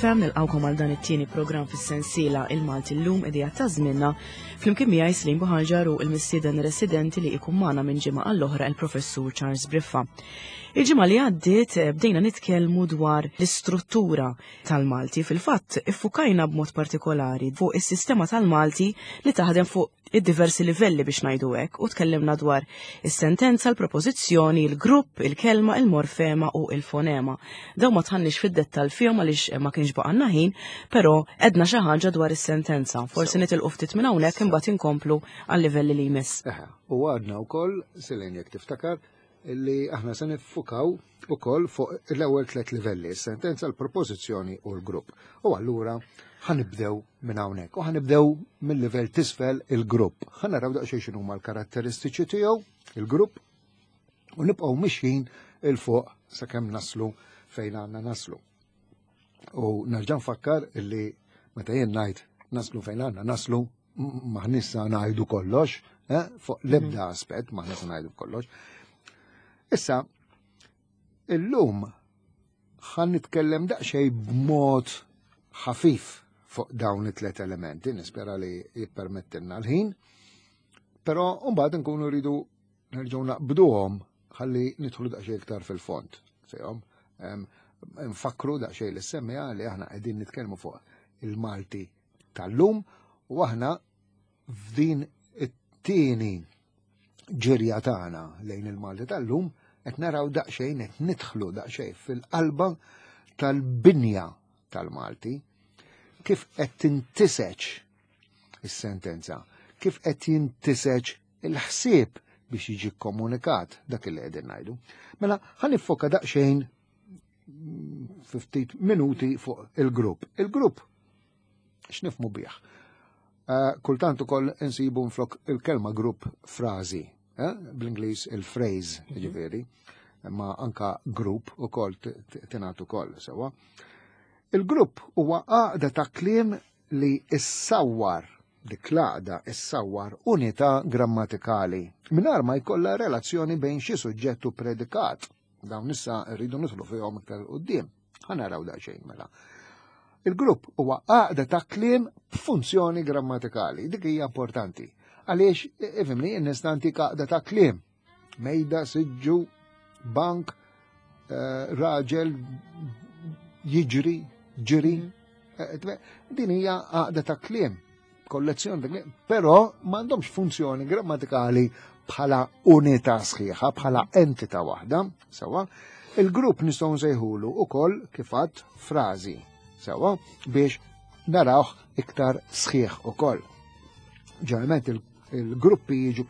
FM nilqawkom għal dan it-tieni programm fis-sensiela Il-Malti llum idea ta' żmienna flimkien miegħi Slim Buħanġar u l-mistieden residenti li ikun magħna minn ġimgħa għall-oħra il-Professur Charles Briffa. Il-ġimgħa li għaddiet eh, bdejna nitkellmu dwar l-istruttura tal-Malti. Fil-fatt iffukajna b'mod partikolari fuq is-sistema tal-Malti li taħdem fuq id-diversi livelli biex ngħidu hekk u tkellimna dwar is-sentenza, l-propożizzjoni, il-grupp, il-kelma, il-morfema u il-fonema. Daw ma tħannix fid-dettall fihom għaliex ma kienx baqanna ħin, però edna xi ħaġa dwar is-sentenza. Forsi nitilqu ftit minn hawnhekk imbagħad inkomplu għal-livelli li jmiss. U għadna wkoll, Selene jekk tiftakar, li aħna se niffukaw ukoll fuq l-ewwel tliet livelli, is-sentenza, l-propożizzjoni u l-grupp. U allura ħanibdew minn hawnhekk u ħanibdew mill-livell tisfel il-grupp. Ħanaraw daqsxejn x'inhuma l-karatteristiċi tiegħu il-grupp u nibqgħu mixjin il fuq sakemm naslu fejn għandna naslu. U nerġa' nfakkar illi meta jien ngħid naslu fejn għandna naslu maħniex sa ngħidu kollox, eh, fuq l-ebda mhm. aspett maħniex sa ngħidu kollox. Issa, illum ħan nitkellem daqsxejn b'mod ħafif fuq dawn it-tlet elementi, nispera li jippermettilna l-ħin, però mbagħad nkunu rridu nerġgħu naqbduhom ħalli nidħlu daqsxejn iktar fil-fond fihom. Nfakru daqsxejn li semmija li aħna qegħdin nitkellmu fuq il-Malti tal-lum u aħna f'din it-tieni ġirja tagħna lejn il-Malti tal-lum qed naraw daqsxejn qed nidħlu daqsxejn fil-qalba tal-binja tal-Malti kif qed tintiseġ is-sentenza, kif qed jintiseġ il-ħsieb biex jiġi komunikat dak li qegħdin ngħidu. Mela ħa niffoka daqsxejn ftit minuti fuq il-grupp. Il-grupp x'nifmu bih? Eh, kultant ukoll insibu nflok il-kelma grupp frażi, eh? bl-Ingliż il-phrase, mhm. ġifieri, ma anka grupp ukoll tingħad ukoll sewwa. Il-grupp huwa għaqda ta' kliem li issawwar dik l-għaqda issawwar unità grammatikali mingħajr ma jkollha relazzjoni bejn xi suġġett u predikat. Dawn issa rridu nidħlu fihom iktar quddiem. Ħa naraw daqsxejn mela. Il-grupp huwa għaqda ta' kliem b'funzjoni grammatikali. Dik hija importanti. Għaliex, ifhimni, nista' ntik għaqda ta' kliem Mejda, siġġu, bank, eh, raġel, jiġri, ġiri. Mhm. Eh, din hija għaqda ta' kliem, kollezzjoni ta' kliem, però m'għandhomx funzjoni grammatikali bħala unità sħiħa, bħala entità waħda, sewa. Il-grupp nistgħu nsejħulu ukoll kif għadd frażi, sewa, biex narawh iktar sħiħ ukoll. Ġeneralment Il-gruppi jiġu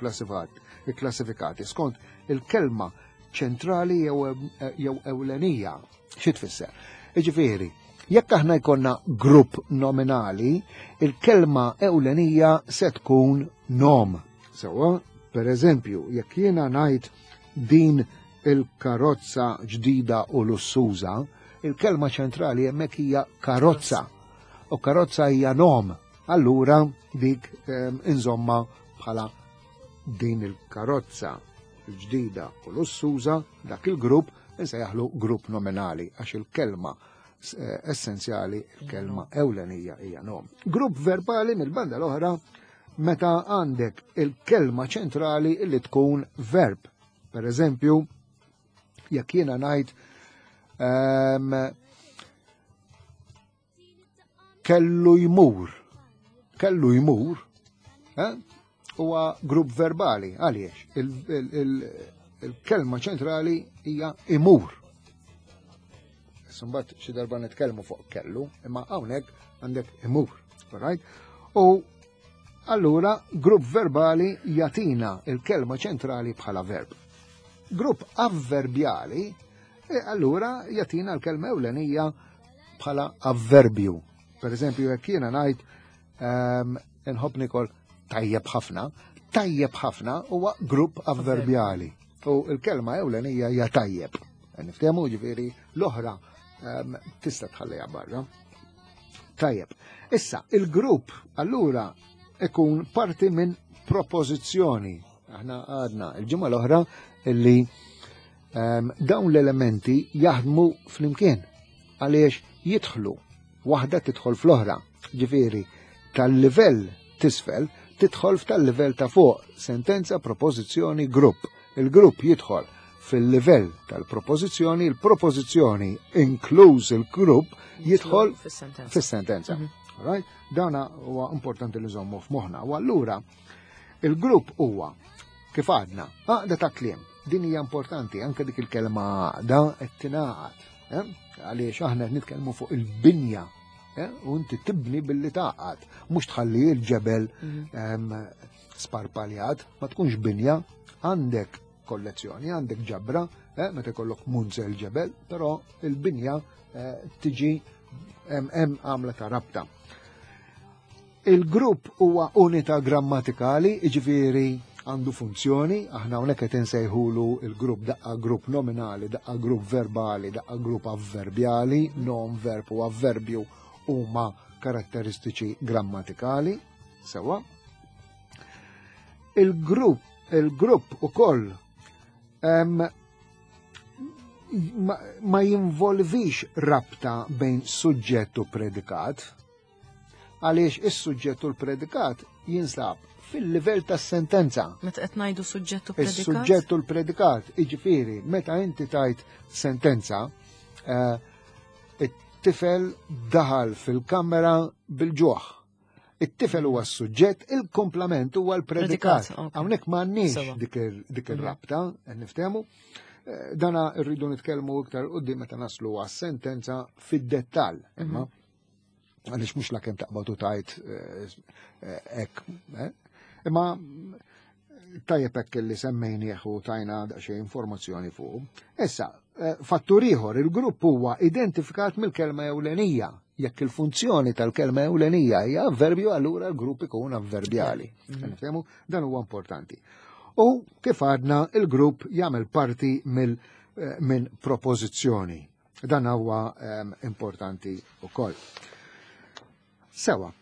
klassifikati skont il-kelma ċentrali jew ewlenija. Xi tfisser? Jiġifieri, jekk aħna jkollna grupp nominali, il-kelma ewlenija se tkun nom. Sewwa, per eżempju, jekk jiena ngħid din il-karozza ġdida u lussuża, il-kelma ċentrali hemmhekk hija karozza. U karozza hija nom. Allura dik ehm, inżomma bħala din il-karozza l-ġdida u lussuża dak il-grupp insejjaħlu grupp nominali għax il-kelma eh, essenzjali, il-kelma ewlenija hija nom. Grupp verbali mill-banda l-oħra meta għandek il-kelma ċentrali li tkun verb. Per eżempju, jekk jiena ngħid ehm, kellu jmur. Kellu jmur, eh, huwa grupp verbali, għaliex il-kelma ċentrali hija imur. Sumbat xi darba nitkellmu fuq kellu, imma hawnhekk għandek imur, right? U allura grupp verbali jatina il-kelma ċentrali bħala verb. Grupp avverbjali e allura jatina l-kelma ewlenija bħala avverbju. Per eżempju, jekk jiena ngħid ehm, inħobb nikol tajjeb ħafna, tajjeb ħafna huwa grupp avverbjali. U l-kelma ewlenija hija tajjeb. Niftehmu ġifieri l-oħra ehm, tista' tħalliha barra. Tajjeb. Issa, il-grupp allura ikun parti minn propożizzjoni. Aħna għadna il-ġimgħa l-oħra illi ehm, dawn l-elementi jaħdmu flimkien għaliex jidħlu. Waħda tidħol fl-oħra. Ġifieri, tal-livell t'isfel tidħol f'tal-livell ta' fuq, sentenza, propożizzjoni, grupp. Il-grupp jidħol fil-livell tal-propożizzjoni, il-propożizzjoni inkluż il-grupp jidħol fis-sentenza. Right? Dana huwa importanti li nżommu f'moħħna. U allura il-grupp huwa kif għadna, għaqda ta' kliem. Din hija importanti anke dik il-kelma għaqda qed tingħaqad. Eh? Għaliex aħna qed nitkellmu fuq il-binja eh? u inti tibni billi taqgħad, mhux tħalli l-ġebel mhm. sparpaljat, ma tkunx binja, għandek kollezzjoni, għandek ġabra, eh, meta jkollok munzel ġebel, però il-binja eh, tiġi hemm għamla ta' rabta. Il-grupp huwa unità grammatikali, jiġifieri għandu funzjoni, aħna hawnhekk qed insejħulu il-grupp daqqa grupp nominali, daqqa grupp verbali, daqqa grupp avverbjali, nom, verb u avverbju huma karatteristiċi grammatikali, sewa. Il-grupp il-grupp ukoll ma, ma jinvolvix rabta bejn suġġett u predikat, għaliex is-suġġett u l-predikat jinsab fil-livell tas-sentenza. Meta qed ngħidu suġġett u predikat? Is-suġġett u l-predikat, jiġifieri meta inti tajt sentenza, eh, it-tifel daħal fil-kamera bil-ġuħ. It-tifel huwa s-suġġett, il-komplament huwa l-predikat. Hawnhekk m'għandniex dik mhm. ir-rabta, niftehmu. Eh, dana rridu nitkellmu iktar qudiem meta naslu għas-sentenza fid-dettall. Imma mhm. għaliex mhux la kemm taqbad u tajt eh, eh, hekk. Eh? Imma tajjeb hekk li semmejnieh u tajna daqsxejn informazzjoni fuq. Issa, fattur ieħor, il-grupp huwa identifikat mill-kelma ewlenija. Jekk il-funzjoni tal-kelma ewlenija hija avverbju, allura l-grupp ikun avverbjali. Mhm. Dan huwa importanti. U kif għadna, il-grupp jagħmel parti minn propożizzjoni. Dan huwa ehm, importanti wkoll. Sewa.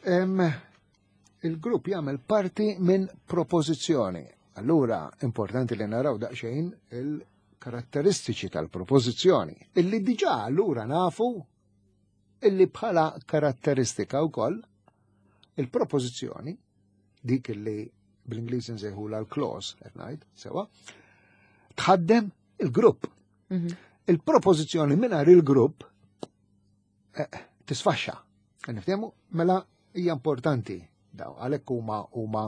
Ehm, il-grupp jagħmel parti minn propożizzjoni. Allura importanti li naraw daqsxejn il-karatteristiċi tal-propożizzjoni illi diġà allura nafu illi bħala karatteristika wkoll il-propożizzjoni dik illi bl-Ingliż insejħula l-clause qed ngħid sewa tħaddem il-grupp. Mhm. Il-propożizzjoni mingħajr il-grupp eh, tisfaxxa. Niftehmu mela hija importanti daw għalhekk huma huma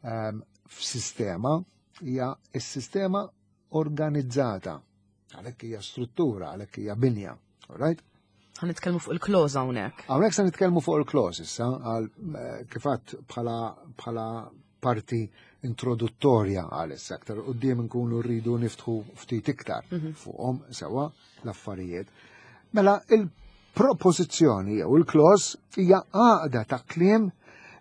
ehm, f'sistema hija s-sistema organizzata. Għalhekk hija struttura, għalhekk hija binja. All right? Ħa nitkellmu fuq il-clause hawnhekk. Hawnhekk se nitkellmu fuq il-clause issa għal eh, kif għadt bħala bħala parti introduttorja għal issa aktar quddiem nkunu rridu niftħu ftit iktar mhm. fuqhom sewa l-affarijiet. Mela il-propożizzjoni jew il-clause hija għaqda ta' kliem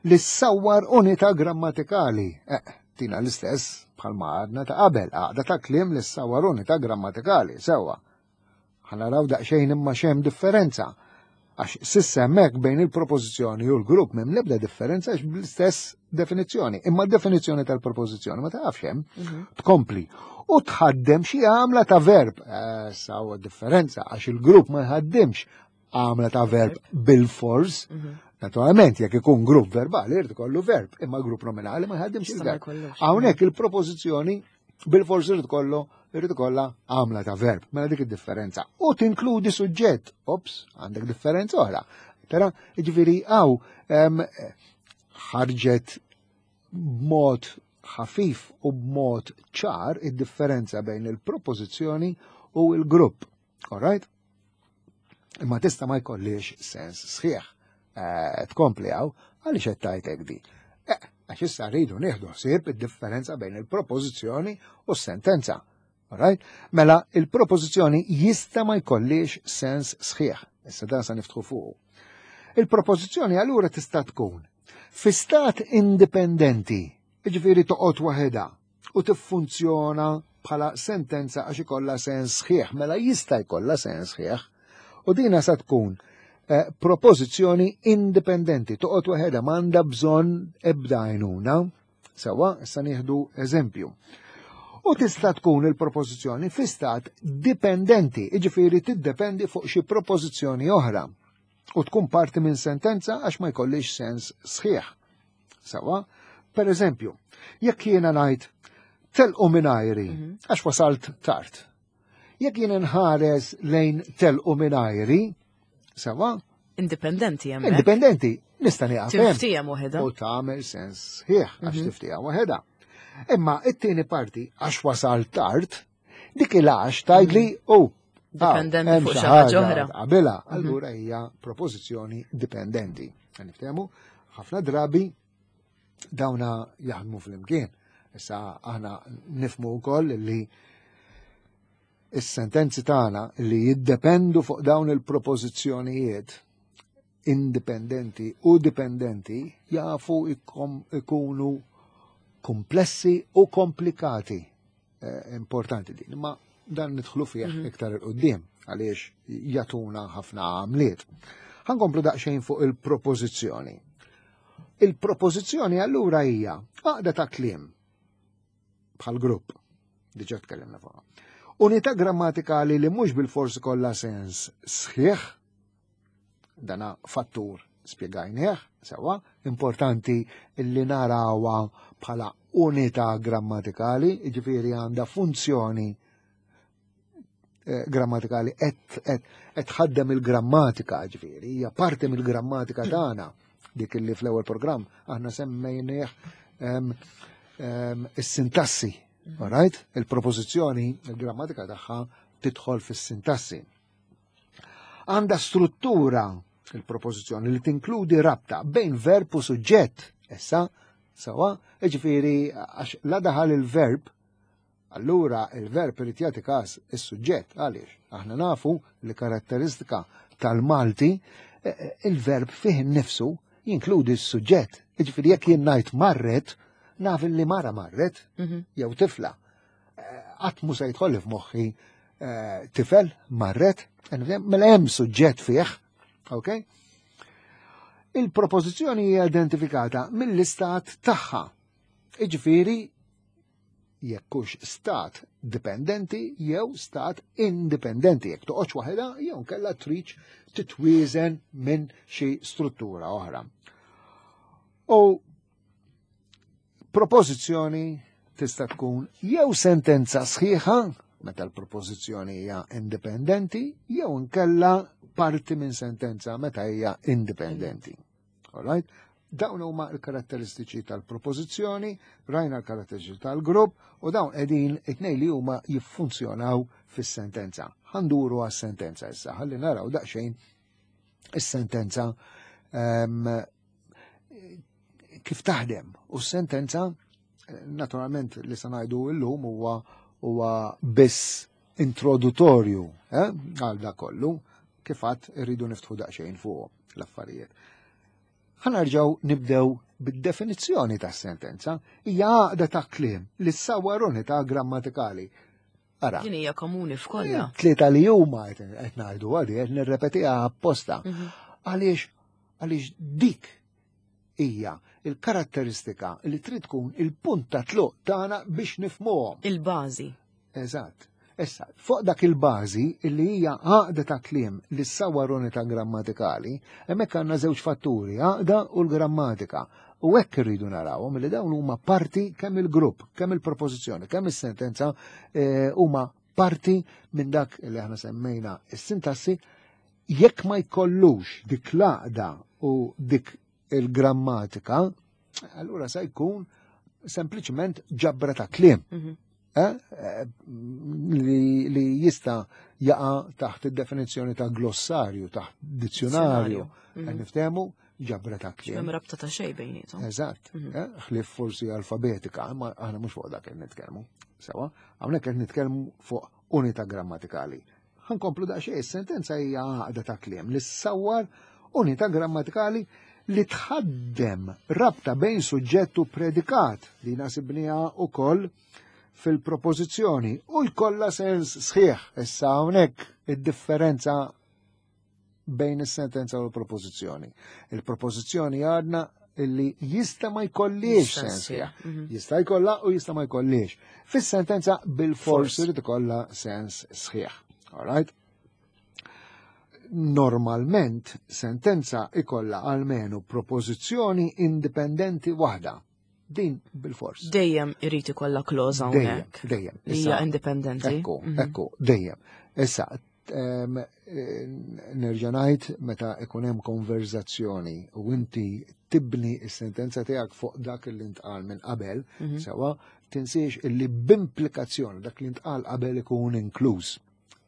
li ssawwar unità grammatikali. Eh, tina l-istess bħalma għadna ta' qabel, għaqda ta' kliem li ssawwar unità grammatikali, sewa. Ħa naraw daqsxejn imma x'hemm differenza. Għax s'issa hemmhekk bejn il-propożizzjoni u l-grupp m'hemm l-ebda differenza għax bl-istess definizzjoni. Imma d-definizzjoni tal-propożizzjoni ma tafx hemm. Mhm. Tkompli. U tħaddem xi għamla ta' verb. Eh, sa huwa differenza għax il-grupp ma jħaddimx għamla ta' verb bil-fors. Mhm. Naturalment, jekk ikun grupp verbali, irid ikollu verb, imma grupp nominali ma jħaddimx il-verb. Hawnhekk il-propożizzjoni bil-fors irid kollu irid ikollha għamla ta' verb, mela dik id-differenza. U tinkludi suġġett, ops, għandek differenza oħra. Tara, ġifieri hawn ħarġet b'mod ħafif u b'mod ċar id-differenza bejn il-propożizzjoni u l-grupp. All right? Imma tista' ma jkollix sens sħiħ. Eh, tkompli hawn għaliex qed tgħid di. Eh, għax issa rridu nieħdu ħsieb id-differenza bejn il-propożizzjoni u s-sentenza. Right? Mela il-propożizzjoni jista' ma jkollix sens sħiħ. Issa dan sa niftħu fuq. Il-propożizzjoni allura tista' tkun fi stat indipendenti, jiġifieri toqgħod waħedha, u tiffunzjona bħala sentenza għax ikollha sens sħiħ, mela jista' jkollha sens sħiħ. U dina sa tkun eh, propożizzjoni indipendenti, toqgħod waħedha m'għandha bżonn ebda għajnuna. Sewa, issa nieħdu eżempju. U tista' tkun il-propożizzjoni fi stat dipendenti, jiġifieri tiddependi fuq xi propożizzjoni oħra u tkun parti minn sentenza għax ma jkollix sens sħiħ. Sawa, per eżempju, jekk jiena ngħid telqu mingħajri għax wasalt tard. Jekk jiena nħares lejn telqu mingħajri, sawa? Indipendenti hemmhekk. Indipendenti, nista' nieqaf hemm. Tiftiehem waħedha. U tagħmel sens sħiħ għax tiftiehem waħedha. Imma it-tieni parti għax wasal tard, dik il-għax tgħidli u Dipendenti fuq xi ħaġa oħra. Qabilha, allura hija propożizzjoni dipendenti. Niftehmu, ħafna drabi dawna jaħdmu flimkien. Issa aħna nifmu wkoll li is-sentenzi tagħna li jiddependu fuq dawn il-propożizzjonijiet indipendenti u dipendenti jafu ikunu komplessi u komplikati. Importanti din, ma dan nidħlu fih iktar il-qoddim għaliex jatuna ħafna għamliet. Ħankomplu daqsxejn fuq il-propożizzjoni. Il-propożizzjoni allura hija għaqda ta' kliem bħal grupp, diġà tkellimna fuqha. Unità grammatikali li mhux bil-forsi kollha sens sħiħ, dana fattur spjegajnieh, sewa, importanti li narawha bħala unità grammatikali, jiġifieri għandha funzjoni grammatikali qed tħaddem il-grammatika, ġifieri, hija parti mill-grammatika tagħna, dik li fl-ewwel programm aħna semmejnieh is-sintassi, all right? Il-propożizzjoni, il-grammatika tagħha tidħol fis-sintassi. Għandha struttura il-propożizzjoni li tinkludi rabta bejn verb u suġġett. Issa, sawa, jiġifieri għax la daħal il-verb, allura il-verb irid jagħti każ is-suġġett. Għaliex? Aħna nafu li karatteristika tal-Malti, il-verb fih innifsu jinkludi s-suġġett. Jiġifieri jekk jien ngħid marret, naf li mara marret, jew tifla. Qatt mhu se jidħol f'moħħi tifel marret, mela hemm suġġett fih, ok? Il-propożizzjoni hija identifikata mill-istat tagħha. Jiġifieri jekk hux stat dipendenti jew stat indipendenti, jekk toqgħodx waħedha jew nkella tridx titwieżen minn xi struttura oħra. U propożizzjoni tista' tkun jew sentenza sħiħa meta l-propożizzjoni hija indipendenti, jew nkella parti minn sentenza meta hija indipendenti. All right? Dawn huma l-karatteristiċi tal-propożizzjoni, rajna l-karatteristiċi tal-grupp u dawn qegħdin it-tnejn li huma jiffunzjonaw fis-sentenza. Ħanduru għas-sentenza issa, ħalli naraw daqsxejn is-sentenza kif taħdem. U s-sentenza, naturalment li se ngħidu llum huwa biss introdutorju għal da kollu, kif għad irridu niftħu daqsxejn fuq l-affarijiet. Ħa nerġgħu nibdew bid-definizzjoni tas-sentenza, hija għaqda ta' kliem li ssawwar unità grammatikali. Ara. Din hija komuni f'kollha. Tlieta li huma qed ngħidu għadi qed nirrepetiha apposta. Għaliex għaliex dik hija il-karatteristika li trid tkun il-punt ta' tluq tagħna biex nifhmuhom. Il-bażi. Eżatt. Issa, fuq dak il-bażi li hija għaqda ta' kliem li ssawwar unità grammatikali, hemmhekk għandna żewġ fatturi, għaqda u l-grammatika. U hekk irridu narawhom li dawn huma parti kemm il-grupp, kemm il-propożizzjoni, kemm is-sentenza huma parti minn dak li aħna semmejna is-sintassi. Jekk ma jkollux dik l-għaqda u dik il-grammatika, allura se jkun sempliċement ġabra ta' kliem. Li jista' jaqa' taħt id-definizzjoni ta' glossarju, taħt dizzjonarju. Qed niftehmu ġabra ta' kliem. Hemm rabta ta' xejn bejniethom. Eżatt. Ħlief forsi alfabetika, ma aħna mhux fuq dak qed nitkellmu. Sewa, hawnhekk qed nitkellmu fuq unità grammatikali. Ħankomplu daqsxejn, is-sentenza hija għaqda ta' kliem li ssawwar unità grammatikali li tħaddem rabta bejn suġġett u predikat li nasibniha wkoll fil-propożizzjoni u jkollha sens sħiħ. Issa hawnhekk id-differenza bejn is-sentenza u l-propożizzjoni. Il-propożizzjoni għadna illi jista' ma jkollix sens sħiħ. Jista' jkollha u jista' ma jkollix. Fis-sentenza bil-fors irid ikollha sens sħiħ. All right? Normalment sentenza ikollha almenu propożizzjoni indipendenti waħda. Din bil-fors. Dejjem irid ikollha clause hawnhekk. Dejjem, dejjem. Hija indipendenti. Ekku, ekku, dejjem. Issa, nerġa' ngħid meta ikun hemm konverzazzjoni u inti tibni s-sentenza tiegħek fuq dak li ntqal minn qabel, sewa, tinsiex illi b'implikazzjoni dak li ntqal qabel ikun inkluż.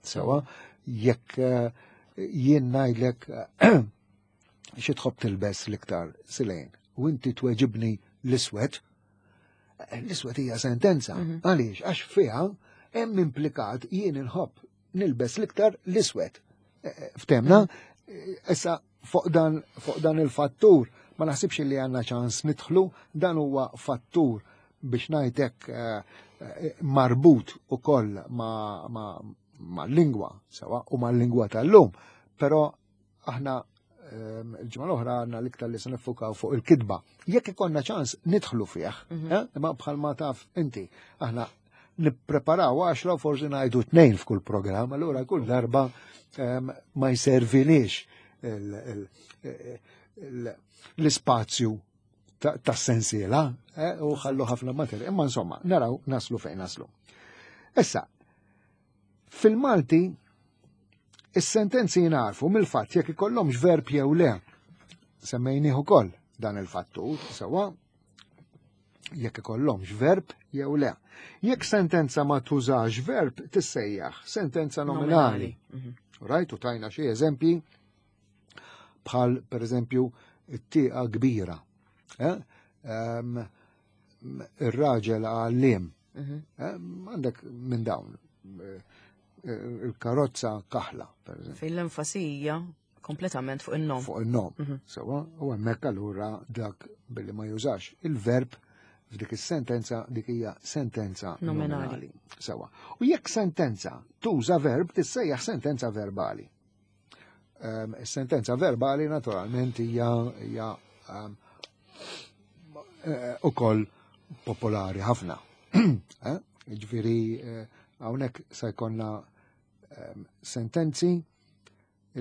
Sewa, jekk jien ngħidlek xi tħobb tilbes l-iktar silejn u inti tweġibni l-iswed, l-iswed hija sentenza. Għaliex? Għax fiha hemm implikat jien inħobb nilbes l-iktar l-iswed. Ftemna, issa fuq dan il-fattur ma naħsibx li għandna ċans nidħlu, dan huwa fattur biex ngħidlek marbut ukoll ma' lingwa sewa u ma' lingwa tal-lum, però aħna il-ġimgħa l-oħra għandna l-iktar li se nifukaw fuq il-kitba. Jekk ikollna ċans nidħlu fih, imma bħalma taf inti, aħna nippreparaw 10 forsi ngħidu 2 f'kull programm, allura kull darba ma jservinix l-ispazju tas-sensiela, u ħallu ħafna materja. Imma insomma, naraw naslu fejn naslu. Issa, fil-Malti, is-sentenzi jingħarfu mill-fatt jekk ikollhomx verb jew le. Semmejnieh ukoll dan il-fattur, sewa jekk ikollhomx verb jew le. Jekk sentenza ma tużax verb tissejjaħ sentenza nominali. Right, u tajna xi eżempji bħal pereżempju it-tieqa kbira. Ir-raġel għalliem. Għandek minn dawn. Il-karozza kaħla, per eżempju. Fejn l-enfasi hija kompletament fuq in-nom. Fuq in-nom. Sewa, u hemmhekk allura dak billi ma jużax il-verb f'dik is-sentenza dik hija sentenza Nominali. nominali. Sewa. U jekk sentenza tuża verb tissejjaħ sentenza verbali. Is-sentenza verbali naturalment hija ukoll popolari ħafna. Ġifieri hawnhekk se jkollna sentenzi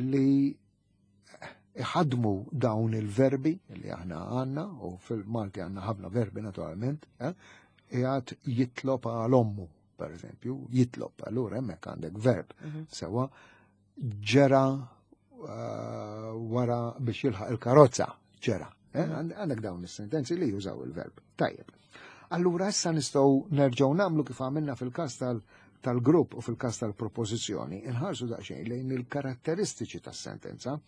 li iħadmu dawn il-verbi li aħna għandna, u fil-Malti għandna ħafna verbi naturalment, qiegħed jitlob għal ommu, per eżempju, jitlob, allura hemmhekk għandek verb. Sewa ġera wara biex jilħaq il-karozza, ġera. Għandek dawn is-sentenzi li jużaw il-verb. Tajjeb. Allura issa nistgħu nerġgħu nagħmlu kif għamilna fil-każ tal-grupp u fil-każ tal-propożizzjoni, inħarsu daqsxejn lejn il-karatteristiċi tas-sentenza.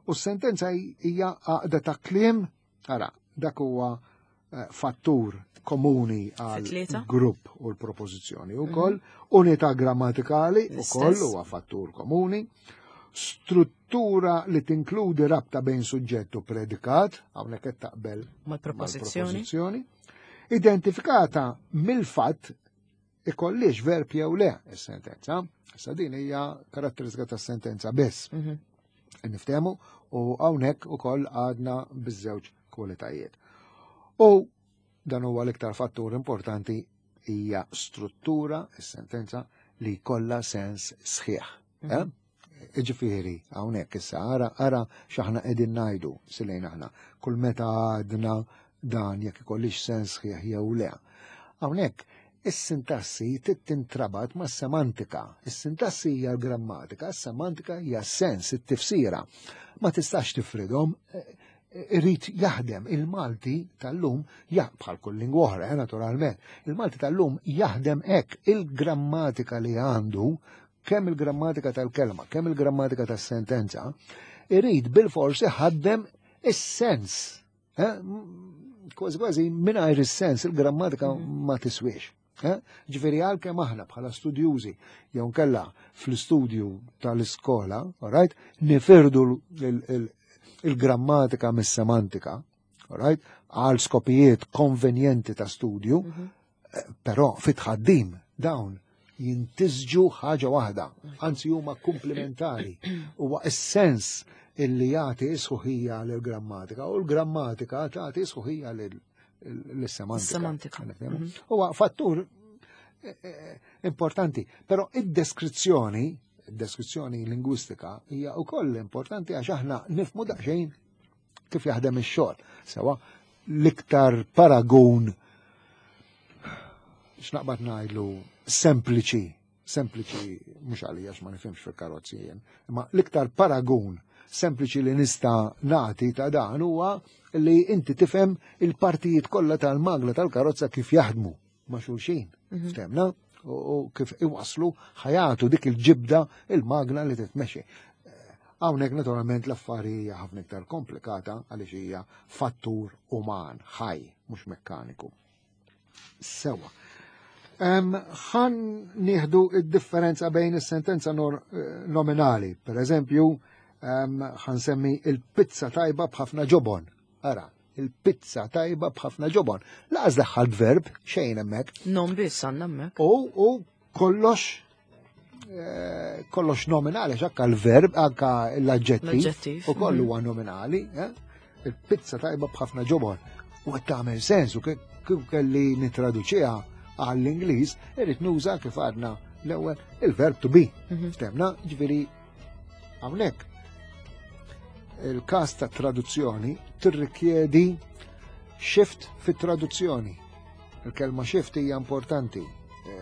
U s-sentenza hija għaqda ta' kliem, ara, dak huwa fattur komuni għal Fit-tlieta? grupp u l-propożizzjoni wkoll, unità grammatikali L-istess. ukoll huwa fattur komuni, struttura li tinkludi rabta bejn suġġett u predikat, hawnhekk qed taqbel mal-propożizzjoni. mal-propożizzjoni, identifikata mill-fatt ikollix verb jew le is-sentenza. Issa din hija karatteristika tas-sentenza biss. Niftehmu u hawnhekk ukoll għadna biż-żewġ kwalitajiet. U dan huwa l-iktar fattur importanti hija struttura, is-sentenza li kollha sens sħiħ. Iġifieri, hawnhekk issa ara x'aħna qegħdin ngħidu silejn aħna. Kull meta għadna dan jekk ikollix sens sħiħ jew le. Hawnhekk is-sintassi tintrabat mas-semantika. Is-sintassi hija l-grammatika, is-semantika hija s-sens, it-tifsira. Ma tistax tifridhom, irid jaħdem il-Malti tal-lum, bħal kull lingwa oħra, naturalment. Il-Malti tal-lum jaħdem hekk, il-grammatika li għandu, kemm il-grammatika tal-kelma, kemm il-grammatika tas-sentenza, irid bil-forsi ħaddem is-sens. Kważi kważi mingħajr is-sens il-grammatika ma tiswiex. Ġifieri għalkemm aħna bħala studjużi jew nkella fl-istudju tal-iskola, all right, nifirdu il-grammatika mis-semantika, all right, għal skopijiet konvenjenti ta' studju, però fit-tħaddim dawn jintisġu ħaġa waħda, anzi huma komplementari. Huwa is-sens illi jagħti sħuħija lill-grammatika u l-grammatika tagħti sħuħija lis-semantika. Semantika. Huwa fattur eh, eh, importanti, però id-deskrizzjoni, id-deskrizzjoni lingwistika hija wkoll importanti għax aħna nifmu daqsxejn kif jaħdem ix-xogħol. Sewa l-iktar paragun x'naqbad ngħidlu sempliċi, sempliċi mhux għalija ma nifhimx fil-karozzi jien, imma l-iktar paragun sempliċi li nista' nagħti ta' dan huwa li inti tifhem il-partijiet kollha tal-magna tal-karozza kif jaħdmu ma' xulxin. Ftemna? U kif iwaslu ħajatu dik il-ġibda il-magna li titmexxi. Hawnhekk naturalment l-affari hija ħafna iktar komplikata għaliex hija fattur uman, ħaj, mhux mekkaniku. Sewa. Ħan nieħdu id-differenza bejn is-sentenza nominali. Per eżempju, ħan semmi il-pizza tajba b'ħafna ġobon. Ara, il-pizza tajba b'ħafna ġobon. Laqas daħħal verb xejn hemmhekk. Non biss għandna hemmhekk. U kollox kollox nominali, anka l-verb, anka l-aġġettiv, u kollu huwa nominali, eh? Il-pizza tajba b'ħafna ġobon. U qed tagħmel sens u kif kelli nitraduċiha għall-Ingliż, irrid nuża kif għadna l-ewwel il-verb to be. Ftemna, ġifieri hawnhekk il-każ ta' traduzzjoni tirrikjedi shift fit-traduzzjoni. Il-kelma shift hija importanti.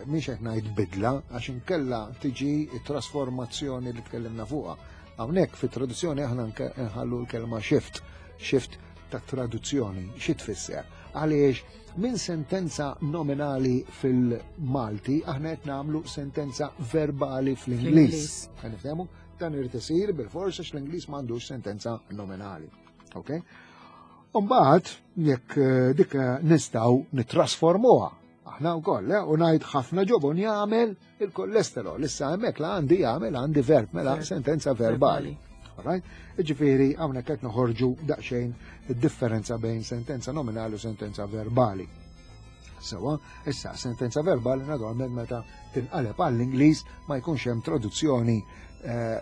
Mhix qed ngħid bidla għax inkella tiġi trasformazzjoni li tkellimna fuqha. Hawnhekk fit-traduzzjoni aħna nħallu l-kelma shift, shift ta' traduzzjoni, xi tfisser? Għaliex minn sentenza nominali fil-Malti aħna qed nagħmlu sentenza verbali fl-Ingliż. Qed nifhemu? Dan irid isir bil-forsa l-Ingliż m'għandux sentenza nominali. Ok? Umbagħad jekk dik nistgħu nittrasformuha aħna wkoll, u ngħid ħafna ġobon jagħmel il-kolesterol. Issa hemmhekk la għandi jagħmel għandi verb mela sentenza verbali. Alright? Ġifieri hawnhekk qed noħorġu daqsxejn id-differenza bejn sentenza nominali u sentenza verbali. Sewa, issa sentenza verbali naturalment meta tinqaleb għall-Ingliż ma jkunx hemm traduzzjoni,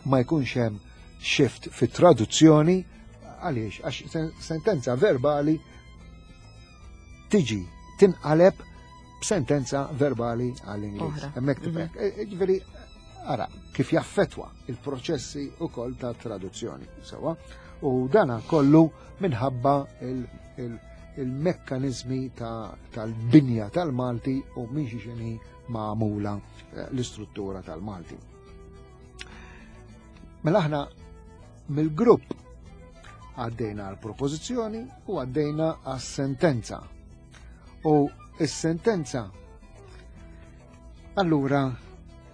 ma jkunx hemm shift fit-traduzzjoni għaliex għax sentenza verbali tiġi tinqaleb b'sentenza verbali għall-Ingliż. Hemmhekk tibek. Ġifieri ara kif jaffetwa il-proċessi ukoll ta' traduzzjoni. Sewa, u dana kollu minħabba il-mekkanizmi tal-binja tal-Malti u minn xi xini magħmula l-istruttura tal-Malti. Mela aħna mill-grupp għaddejna għal propożizzjoni u għaddejna għas-sentenza. U s-sentenza allura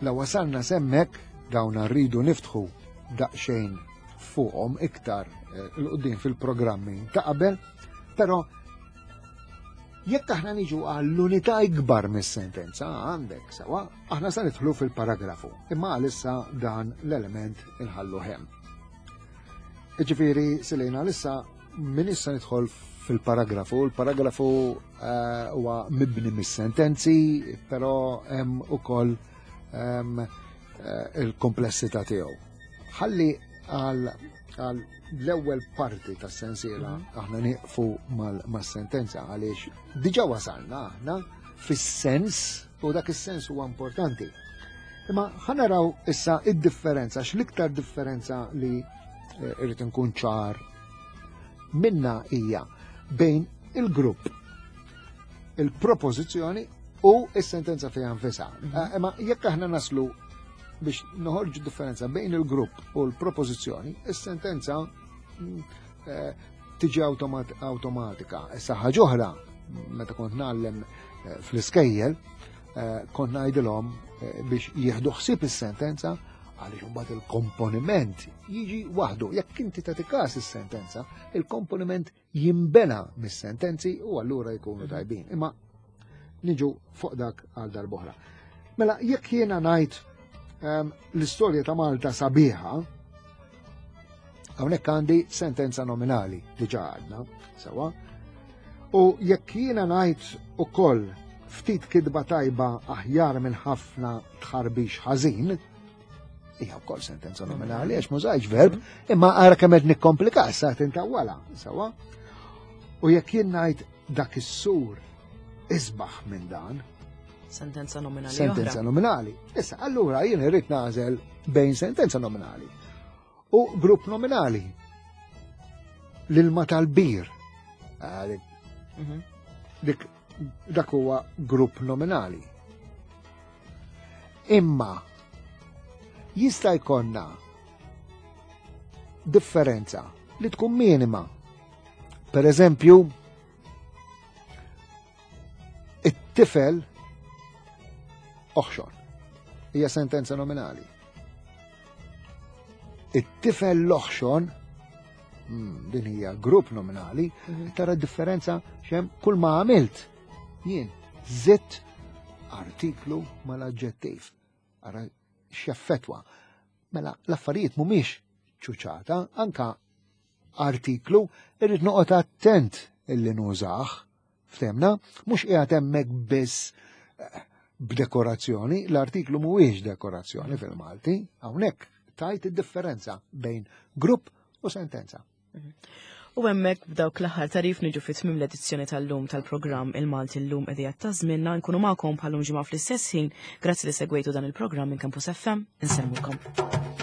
la wasalna semmek dawn rridu niftħu daqsxejn fuqhom iktar l-qudiem fil-programmi ta' qabel, però jekk aħna niġu għall-unità ikbar mis-sentenza għandek sewa, aħna se nidħlu fil-paragrafu, imma għalissa dan l-element inħallu hemm. Ġifieri silejna għalissa min issa nidħol fil-paragrafu, il-paragrafu huwa mibni mis-sentenzi, però hemm ukoll il-komplessità tiegħu. Ħalli għal l-ewwel parti tas-sensiela aħna nieqfu mas-sentenza għaliex diġà wasalna aħna fis-sens u dak is-sens huwa importanti. Imma ħa naraw issa id-differenza, għax l-iktar differenza li irrid inkun ċar minna hija bejn il-grupp, il-propożizzjoni u s-sentenza fiha nfisha. Imma jekk aħna naslu biex noħorġu differenza bejn il-grupp u l-propożizzjoni, is-sentenza tiġi automatika. Issa ħaġa oħra, meta kont ngħallem fl-iskejjel, kont ngħidilhom biex jieħdu ħsieb is-sentenza għaliex imbagħad il-komponiment jiġi waħdu. Jekk inti tagħti każ is-sentenza, il-komponiment jimbena mis-sentenzi u allura jkunu tajbin. Imma niġu fuq dak għal darb'oħra. Mela, jekk jiena ngħid l-istorja ta' Malta sabiħa, hawnhekk għandi sentenza nominali diġà għadna, sewa. U jekk jiena ngħid ukoll ftit kidba tajba aħjar minn ħafna tħarbix ħażin, Hija wkoll sentenza nominali għax mużajx verb, imma ara kemm qed nikkomplika sa tintawwala, sewwa. U jekk jien ngħid dak is-sur isbaħ minn dan. Sentenza nominali. Sentenza nominali. Issa, allura jien irrid nagħżel bejn sentenza nominali u grupp nominali. L-ilma tal-bir. Ah, Dik dak huwa grupp nominali. Imma jista' jkollna differenza li tkun minima. Per eżempju, it-tifel oħxon. Hija sentenza nominali. It-tifel l-oħxon, din hija grupp nominali, tara differenza xem kull ma għamilt jien zitt artiklu mal-aġġettiv. Ara x'effettwa. Mela l-affarijiet mhumiex ċuċata, anka artiklu irrid noqgħod attent illi nużah. Ftemna, mhux qiegħed hemmhekk biss eh, b'dekorazzjoni, l-artiklu mhuwiex dekorazzjoni fil-Malti, hawnhekk tajt id-differenza bejn grupp u sentenza. U hemmhekk b'dawk l-aħħar tarif niġu fi tmiem l-edizzjoni tal-lum tal-programm Il-Malti llum qegħdija ta' żmienna nkunu magħkom bħalum ġimgħa fl-istess ħin. Grazzi li segwejtu dan il-programm minn Campus FM. Insellmulkom.